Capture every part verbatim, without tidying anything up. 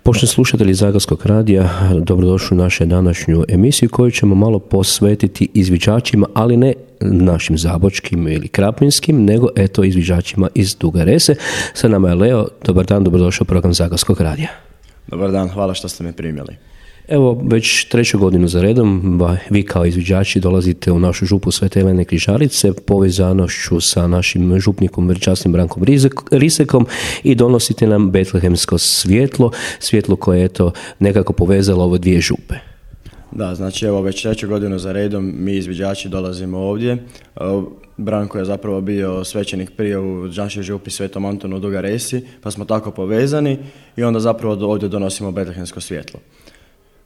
Poštovani slušatelji Zagorskog radija, dobrodošli u našu današnju emisiju koju ćemo malo posvetiti izviđačima, ali ne našim zabočkim ili krapinskim, nego eto izviđačima iz Duge Rese. Sa nama je Leo. Dobar dan, dobrodošao u program Zagorskog radija. Dobar dan, hvala što ste me primili. Evo, već treću godinu za redom vi kao izviđači dolazite u našu župu Svete Helene Križarice povezanošću sa našim župnikom veličasnim Brankom Risekom i donosite nam betlehemsko svjetlo, svjetlo koje je eto nekako povezalo ove dvije župe. Da, znači evo već treću godinu za redom mi izviđači dolazimo ovdje. Branko je zapravo bio svećenik prije u našoj župi Svetom Antonu u Dugoj Resi, pa smo tako povezani i onda zapravo ovdje donosimo betlehemsko svjetlo.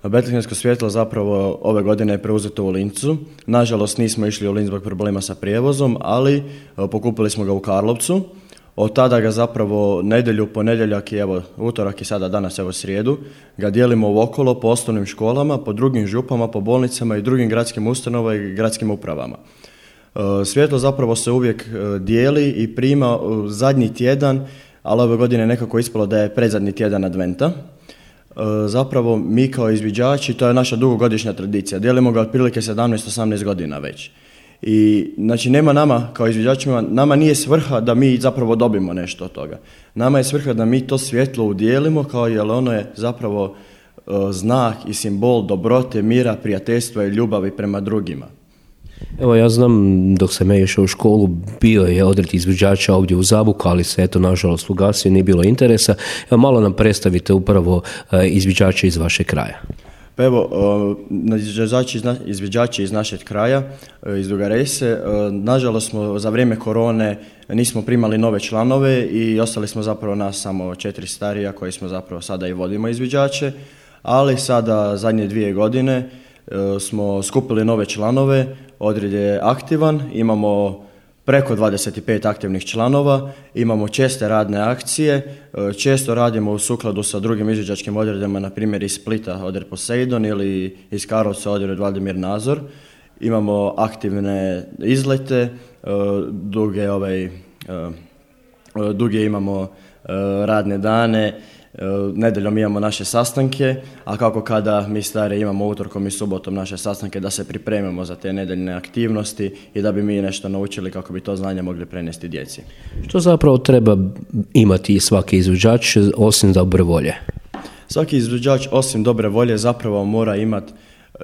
Betlehemsko svjetlo zapravo ove godine je preuzeto u Lincu. Nažalost nismo išli u Linz zbog problema sa prijevozom, ali pokupili smo ga u Karlovcu. Od tada ga zapravo nedjelju, ponedjeljak i evo utorak i sada danas evo srijedu ga dijelimo okolo po osnovnim školama, po drugim župama, po bolnicama i drugim gradskim ustanovama i gradskim upravama. Svjetlo zapravo se uvijek dijeli i prima zadnji tjedan, ali ove godine je nekako ispalo da je predzadnji tjedan adventa. Zapravo mi kao izviđači, to je naša dugogodišnja tradicija, dijelimo ga otprilike sedamnaest osamnaest godina već. I znači nema nama kao izviđačima, nama nije svrha da mi zapravo dobimo nešto od toga. Nama je svrha da mi to svjetlo udijelimo, kao jer ono je zapravo uh, znak i simbol dobrote, mira, prijateljstva i ljubavi prema drugima. Evo ja znam, dok sam ja išao u školu, bio je odred izviđača ovdje u Zabuku, ali se eto nažalost ugasio, nije bilo interesa. Evo malo nam predstavite upravo uh, izviđače iz vašeg kraja. Pa evo, izviđači, izviđači iz našeg kraja, iz Duge Rese, nažalost smo za vrijeme korone nismo primali nove članove i ostali smo zapravo nas samo četiri starija koji smo zapravo sada i vodimo izviđače, ali sada zadnje dvije godine smo skupili nove članove, odred je aktivan, imamo preko dvadeset pet aktivnih članova, imamo česte radne akcije, često radimo u sukladu sa drugim izviđačkim odredama, na primjer iz Splita odred Poseidon ili iz Karlovca odred Vladimir Nazor. Imamo aktivne izlete, duge, ovaj, duge imamo radne dane, nedjeljom imamo naše sastanke, a kako kada mi stari imamo utorkom i subotom naše sastanke da se pripremimo za te nedjeljne aktivnosti i da bi mi nešto naučili kako bi to znanje mogli prenesti djeci. Što zapravo treba imati svaki izviđač osim dobre volje? Svaki izviđač osim dobre volje zapravo mora imati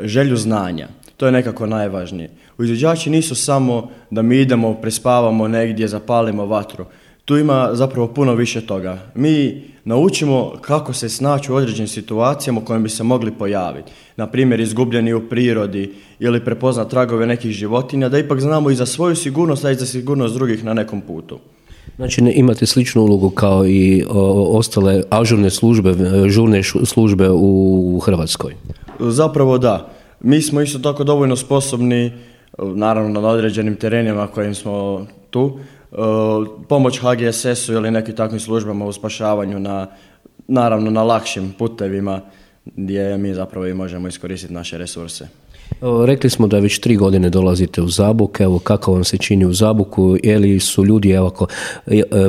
želju znanja. To je nekako najvažnije. Izviđači nisu samo da mi idemo, prespavamo negdje, zapalimo vatru. Tu ima zapravo puno više toga. Mi naučimo kako se snaći u određenim situacijama u kojima bi se mogli pojaviti. Na primjer, izgubljeni u prirodi ili prepoznat tragove nekih životinja, da ipak znamo i za svoju sigurnost, a i za sigurnost drugih na nekom putu. Znači ne imate sličnu ulogu kao i o, ostale ažurne službe, žurne službe u Hrvatskoj? Zapravo da. Mi smo isto tako dovoljno sposobni, naravno na određenim terenima kojim smo tu, pomoć H G S S-u ili nekim takvim službama u spašavanju na, naravno na lakšim putevima gdje mi zapravo i možemo iskoristiti naše resurse. Rekli smo da već tri godine dolazite u Zabuk, evo kako vam se čini u Zabuku, je li su ljudi ovako,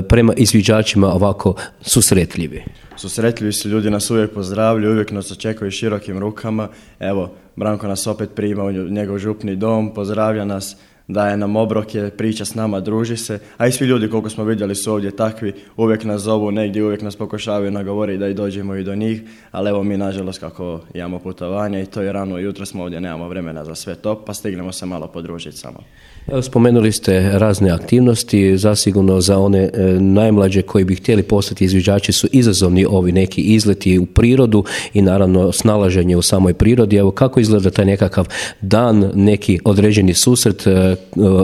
prema izviđačima ovako susretljivi? Susretljivi su ljudi, nas uvijek pozdravljaju, uvijek nas očekuju širokim rukama. Evo, Branko nas opet prima u njegov župni dom, pozdravlja nas, daje nam obroke, priča s nama, druži se, a i svi ljudi koliko smo vidjeli su ovdje takvi, uvijek nas zovu negdje, uvijek nas pokušavaju nagovoriti da i dođemo i do njih, ali evo mi nažalost kako imamo putovanje i to je rano jutro smo ovdje, nemamo vremena za sve to, pa stignemo se malo podružiti samo. Evo, spomenuli ste razne aktivnosti, zasigurno za one e, najmlađe koji bi htjeli postati izviđači su izazovni ovi neki izleti u prirodu i naravno snalaženje u samoj prirodi. Evo kako izgleda taj nekakav dan, neki određeni susret e,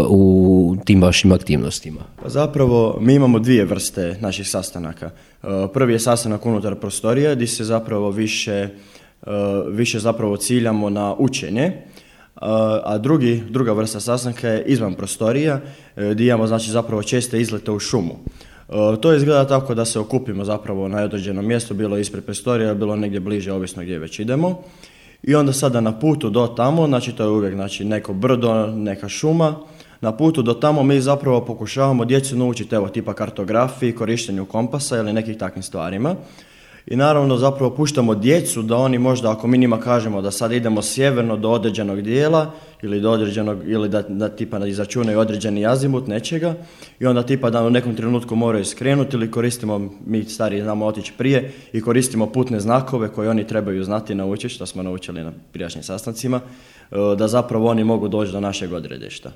u tim vašim aktivnostima? Pa zapravo mi imamo dvije vrste naših sastanaka. Prvi je sastanak unutar prostorija gdje se zapravo više, više zapravo ciljamo na učenje, a drugi, druga vrsta sastanka je izvan prostorija gdje imamo znači zapravo česte izlete u šumu. To izgleda tako da se okupimo zapravo na određenom mjestu, bilo ispred prostorija, bilo negdje bliže, ovisno gdje već idemo. I onda sada na putu do tamo, znači to je uvijek znači, neko brdo, neka šuma, na putu do tamo mi zapravo pokušavamo djecu naučiti, evo, tipa kartografiji, korištenju kompasa ili nekih takvim stvarima. I naravno zapravo puštamo djecu da oni možda, ako mi njima kažemo da sad idemo sjeverno do određenog dijela ili do određenog, ili da, da tipa izračunaju određeni azimut nečega i onda tipa da u nekom trenutku moraju skrenuti ili koristimo, mi stariji znamo otići prije i koristimo putne znakove koje oni trebaju znati naučiti, što smo naučili na prijašnjim sastancima, da zapravo oni mogu doći do našeg odredišta.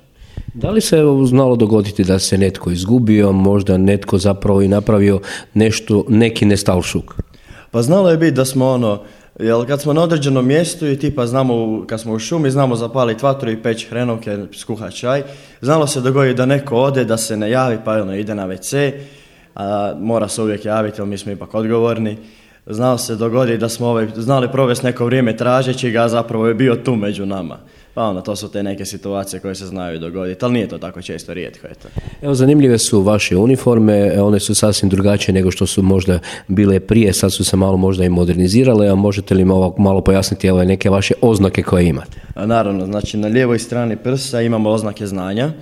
Da li se znalo dogoditi da se netko izgubio, možda netko zapravo i napravio nešto, neki nestalšuk? Pa znalo je biti da smo ono, jel kad smo na određenom mjestu i tipa znamo, kad smo u šumi, znamo zapaliti vatru i peći hrenovke, skuhati čaj, znalo se dogoditi da neko ode, da se ne javi, pa ono ide na ve ce, a mora se uvijek javiti, jer mi smo ipak odgovorni. Znalo se dogoditi da smo ovaj, znali provesti neko vrijeme tražeći ga, a zapravo je bio tu među nama. Pa onda, to su te neke situacije koje se znaju dogoditi, ali nije to tako često, rijetko je to. Evo, zanimljive su vaše uniforme, one su sasvim drugačije nego što su možda bile prije, sad su se malo možda i modernizirale, a možete li malo, malo pojasniti evo, neke vaše oznake koje imate? A naravno, znači na lijevoj strani prsa imamo oznake znanja.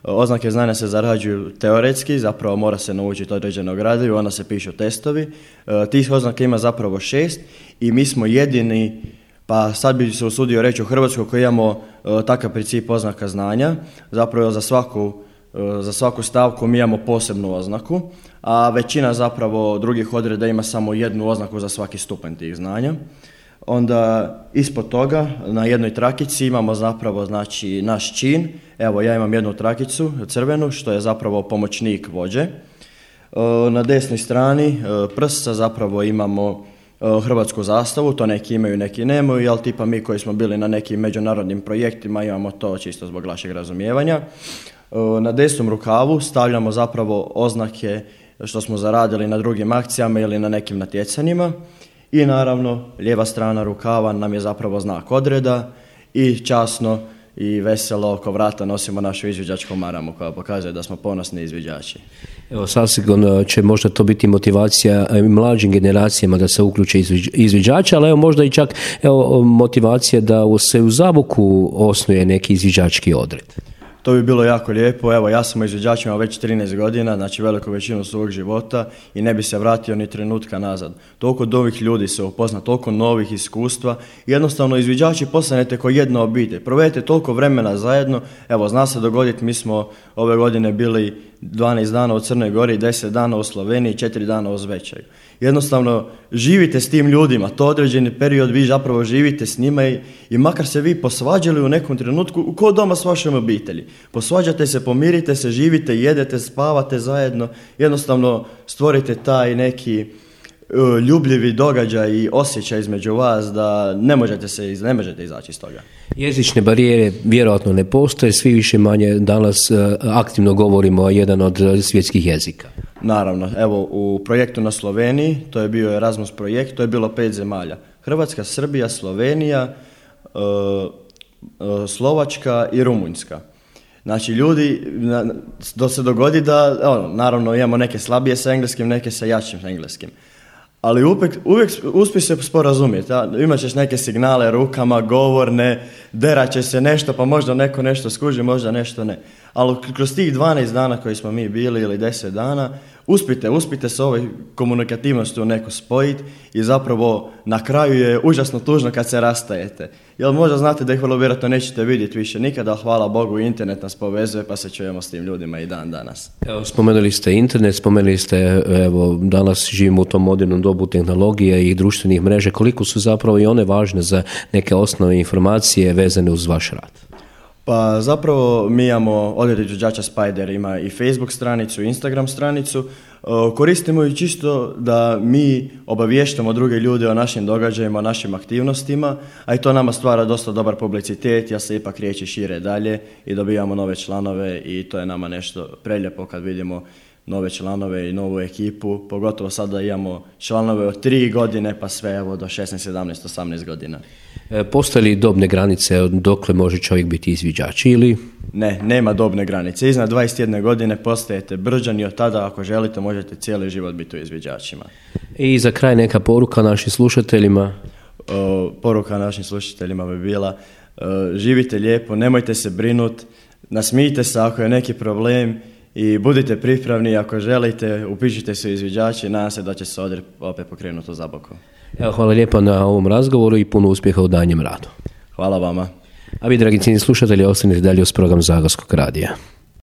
Oznake znanja se zarađuju teoretski, zapravo mora se naučiti određeno gradivo, onda se pišu testovi. E, tih oznaka ima zapravo šest i mi smo jedini, pa sad bi se usudio reći u Hrvatskoj koji imamo e, takav princip oznaka znanja. Zapravo za svaku, e, za svaku stavku mi imamo posebnu oznaku, a većina zapravo drugih odreda ima samo jednu oznaku za svaki stupanj tih znanja. Onda ispod toga na jednoj trakici imamo zapravo znači naš čin. Evo ja imam jednu trakicu crvenu što je zapravo pomoćnik vođe. Na desnoj strani prsa zapravo imamo hrvatsku zastavu, to neki imaju, neki nemaju, ali tipa mi koji smo bili na nekim međunarodnim projektima imamo to čisto zbog našeg razumijevanja. Na desnom rukavu stavljamo zapravo oznake što smo zaradili na drugim akcijama ili na nekim natjecanjima. I naravno, lijeva strana rukava nam je zapravo znak odreda i časno i veselo oko vrata nosimo našu izviđačku maramu koja pokazuje da smo ponosni izviđači. Evo, sasigurno će možda to biti motivacija mlađim generacijama da se uključe izviđači, ali evo možda i čak evo, motivacija da se u Zaboku osnuje neki izviđački odred. To bi bilo jako lijepo. Evo, ja sam izviđač imao već trinaest godina, znači veliku većinu svog života i ne bi se vratio ni trenutka nazad. Toliko novih ljudi se upozna, toliko novih iskustva. Jednostavno, izviđači postanete kao jedna obitelj. Provedete toliko vremena zajedno. Evo, zna se dogoditi, mi smo ove godine bili dvanaest dana u Crnoj Gori, deset dana u Sloveniji, četiri dana u Zvečaju. Jednostavno, živite s tim ljudima, to određeni period vi zapravo živite s njima i, i makar se vi posvađali u nekom trenutku, ko doma s vašom obitelji. Posvađate se, pomirite se, živite, jedete, spavate zajedno, jednostavno stvorite taj neki uh, ljubljivi događaj i osjećaj između vas da ne možete se ne možete izaći iz toga. Jezične barijere vjerojatno ne postoje, svi više manje danas uh, aktivno govorimo jedan od svjetskih jezika. Naravno, evo u projektu na Sloveniji, to je bio Erasmus projekt, to je bilo pet zemalja. Hrvatska, Srbija, Slovenija, uh, uh, Slovačka i Rumunjska. Znači ljudi, da se dogodi da, ono, naravno imamo neke slabije sa engleskim, neke sa jačim engleskim. Ali uvijek, uvijek uspije se sporazumjeti. Imat ćeš neke signale rukama, govorne, derat će se nešto, pa možda neko nešto skuži, možda nešto ne. Ali kroz tih dvanaest dana koji smo mi bili ili deset dana, uspite, uspite se ovoj komunikativnosti u neko spojiti i zapravo na kraju je užasno tužno kad se rastajete. Jer možda znate da ih vrlo vjerojatno nećete vidjeti više nikada, hvala Bogu internet nas povezuje pa se čujemo s tim ljudima i dan danas. Evo, spomenuli ste internet, spomenuli ste, evo, danas živimo u tom modernom dobu tehnologije i društvenih mreža, koliko su zapravo i one važne za neke osnovne informacije vezane uz vaš rad? Pa zapravo mi imamo, odred izvođača Spider ima i Facebook stranicu, Instagram stranicu, koristimo ju čisto da mi obavještamo druge ljude o našim događajima, o našim aktivnostima, a i to nama stvara dosta dobar publicitet, ja se ipak riječi šire dalje i dobijamo nove članove i to je nama nešto prelijepo kad vidimo nove članove i novu ekipu, pogotovo sada imamo članove od tri godine pa sve evo do šesnaest, sedamnaest, osamnaest godina. E, postoje li dobne granice dokle može čovjek biti izviđač ili? Ne, nema dobne granice. Iznad dvadeset jedne godine postajete Brđan i od tada ako želite možete cijeli život biti u izviđačima. I za kraj neka poruka našim slušateljima? O, poruka našim slušateljima bi bila o, živite lijepo, nemojte se brinuti, nasmijte se ako je neki problem i budite pripravni ako želite, upišite se u izviđači, nadam se da će se odred opet pokrenuti u Zaboku. Evo, hvala lijepo na ovom razgovoru i puno uspjeha u daljnjem radu. Hvala vama. A vi, dragi cijenjeni slušatelji, ostanite dalje uz program Zagorskog radija.